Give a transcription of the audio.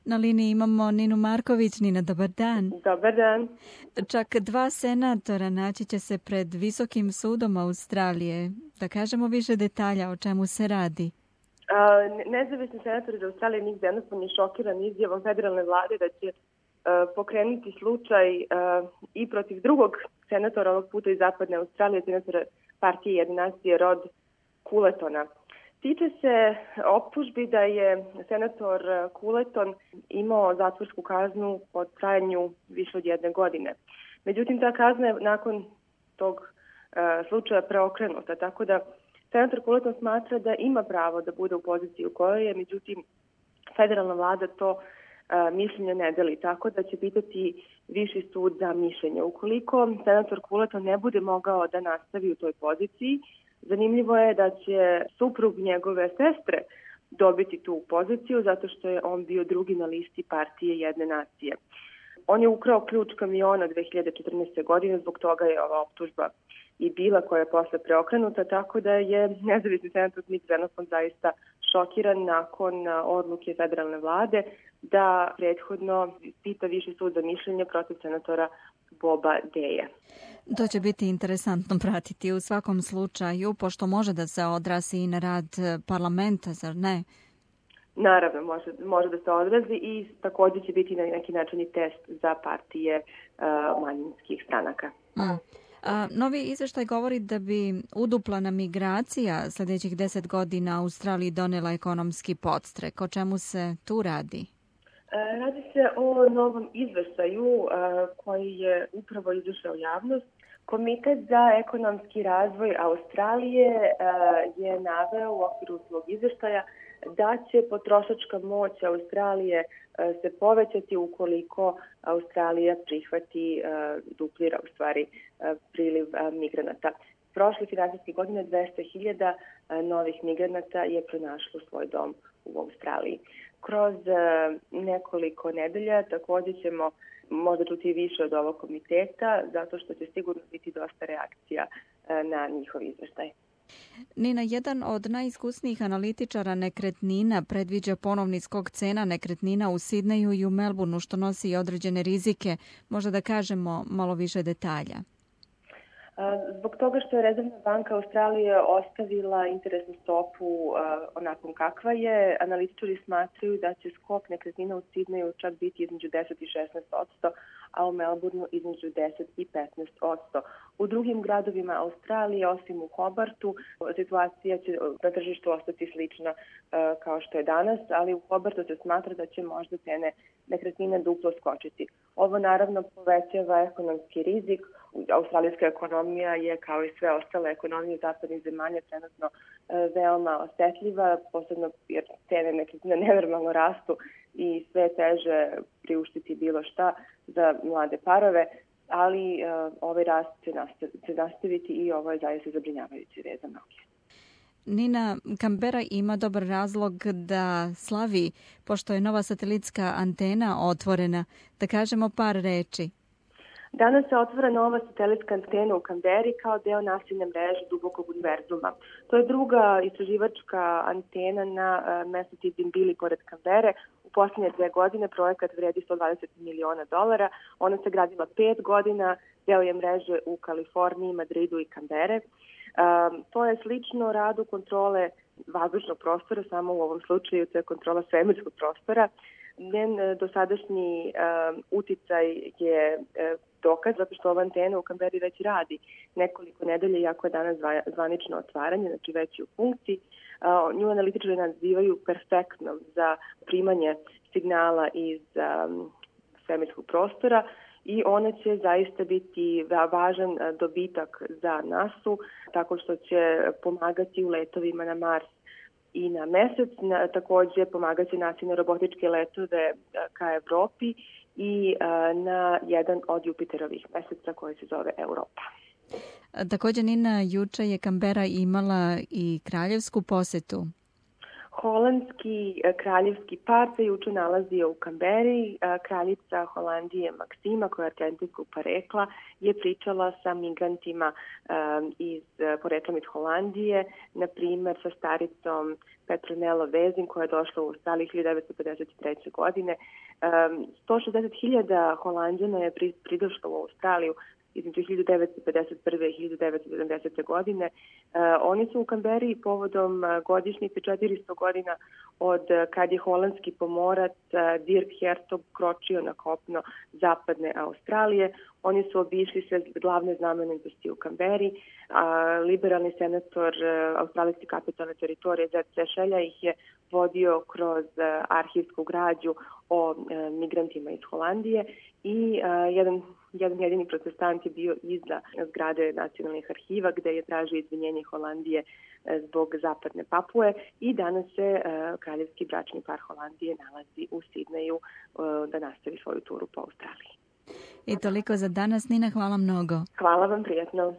Na liniji imamo Ninu Marković. Nina, dobar dan. Dobar dan. Čak 2 senatora naći će se pred Visokim sudom Australije. Da kažemo više detalja o čemu se radi. Nezavisni senator iz Australije Nick Xenophon je šokiran izjavom federalne vlade da će pokrenuti slučaj i protiv drugog senatora, ovog puta iz Zapadne Australije, senatora partije Jedne nacije Rod Culletona. Tiče se optužbi da je senator Culleton imao zatvorsku kaznu po trajanju više od 1 godine. Međutim, ta kazna je nakon tog slučaja preokrenuta, tako da senator Culleton smatra da ima pravo da bude u poziciji u kojoj je, međutim, federalna vlada to mišljenje ne deli, tako da će pitati viši sud za mišljenje. Ukoliko senator Culleton ne bude mogao da nastavi u toj poziciji, zanimljivo je da će suprug njegove sestre dobiti tu poziciju zato što je on bio drugi na listi partije Jedne nacije. On je ukrao ključ kamiona 2014. godine, zbog toga je ova optužba i bila, koja je posle preokrenuta, tako da je nezavisni senator Nick Xenophon zaista šokiran nakon odluke federalne vlade da prethodno pita viši sud za mišljenje protiv senatora Boba Deja. To će biti interesantno pratiti u svakom slučaju, pošto može da se odrazi i na rad parlamenta, zar ne? Naravno, može da se odrazi i također će biti na neki način i test za partije manjinskih stranaka. Novi izveštaj govori da bi uduplana migracija sljedećih 10 godina Australiji donela ekonomski podstrek. O čemu se tu radi? Radi se o novom izveštaju koji je upravo izašao u javnost. Komitet za ekonomski razvoj Australije je naveo u okviru svog izveštaja da će potrošačka moć Australije se povećati ukoliko Australija prihvati, duplira u stvari priliv migranata. Prošle finansijske godine 200.000 novih migranata je pronašlo svoj dom u Australiji. Kroz nekoliko nedelja također ćemo možda čuti više od ovog komiteta, zato što će sigurno biti dosta reakcija na njihov izveštaj. Nina, jedan od najiskusnijih analitičara nekretnina predviđa ponovni skok cena nekretnina u Sidneju i u Melbourneu, što nosi i određene rizike. Možda da kažemo malo više detalja. Zbog toga što je Rezervna banka Australije ostavila interesnu stopu onakvom kakva je, analitičari smatraju da će skok nekretnina u Sidneju čak biti između 10 i 16%, a u Melbourneu između 10 i 15%. U drugim gradovima Australije, osim u Hobartu, situacija će na tržištu ostati slična kao što je danas, ali u Hobartu se smatra da će možda cene nekretnine duplo skočiti. Ovo naravno povećava ekonomski rizik. Australijska ekonomija je, kao i sve ostale ekonomije zapadnih zemalja, trenutno veoma osetljiva, posebno jer cene nekretnina nenormalno rastu i sve teže priuštiti bilo šta za mlade parove, ali ovaj rast će nastaviti i ovo je zaista zabrinjavajući vez za mnoge. Nina, Canberra ima dobar razlog da slavi, pošto je nova satelitska antena otvorena. Da kažemo par reči. Danas se otvara nova satelitska antena u Canberri kao deo nasilne mreže dubokog univerzuma. To je druga istraživačka antena na mestu Tidbinbili pored Canberre. U posljednje 2 godine projekat vredi $120 miliona. Ona se gradila 5 godina, deo je mreže u Kaliforniji, Madridu i Canberre. To je slično radu kontrole vazdušnog prostora, samo u ovom slučaju to je kontrola svemirskog prostora. Njen dosadašnji uticaj je dokaz, zato što ova antena u Canberri već radi nekoliko nedelja, iako je danas zvanično otvaranje, znači već je u funkciji. Nju analitičari nazivaju perfektnom za primanje signala iz svemirskog prostora i ona će zaista biti važan dobitak za NASA-u, tako što će pomagati u letovima na Mars i na Mesec, također pomagaće nasilne robotičke letove ka Evropi i na jedan od Jupiterovih meseca koji se zove Europa. Također, Nina, juče je Canberra imala i kraljevsku posetu. Holandski kraljevski par se juče nalazio u Kamberi. Kraljica Holandije Maksima, koja je argentinskog porekla, je pričala sa migrantima poreklom iz Holandije, na primer sa staricom Petronelo Vezin, koja je došla u Australiju 1953. godine. 160.000 Holanđana je pridošlo u Australiju između 1951. i 1970. godine. Oni su u Kamberi povodom godišnjice 400 godina od kad je holandski pomorac Dirk Hertog kročio na kopno zapadne Australije. Oni su obišli sve glavne znamenitosti u Kamberi, a liberalni senator australijske kapitalne teritorije Zed Sešelja ih je vodio kroz arhivsku građu o migrantima iz Holandije i jedan jedini protestant je bio iza zgrade nacionalnih arhiva gde je tražio izvinjenje Holandije zbog zapadne Papue i danas se kraljevski bračni par Holandije nalazi u Sidneju da nastavi svoju turu po Australiji. I toliko za danas, Nina, hvala mnogo. Hvala vam, prijatno.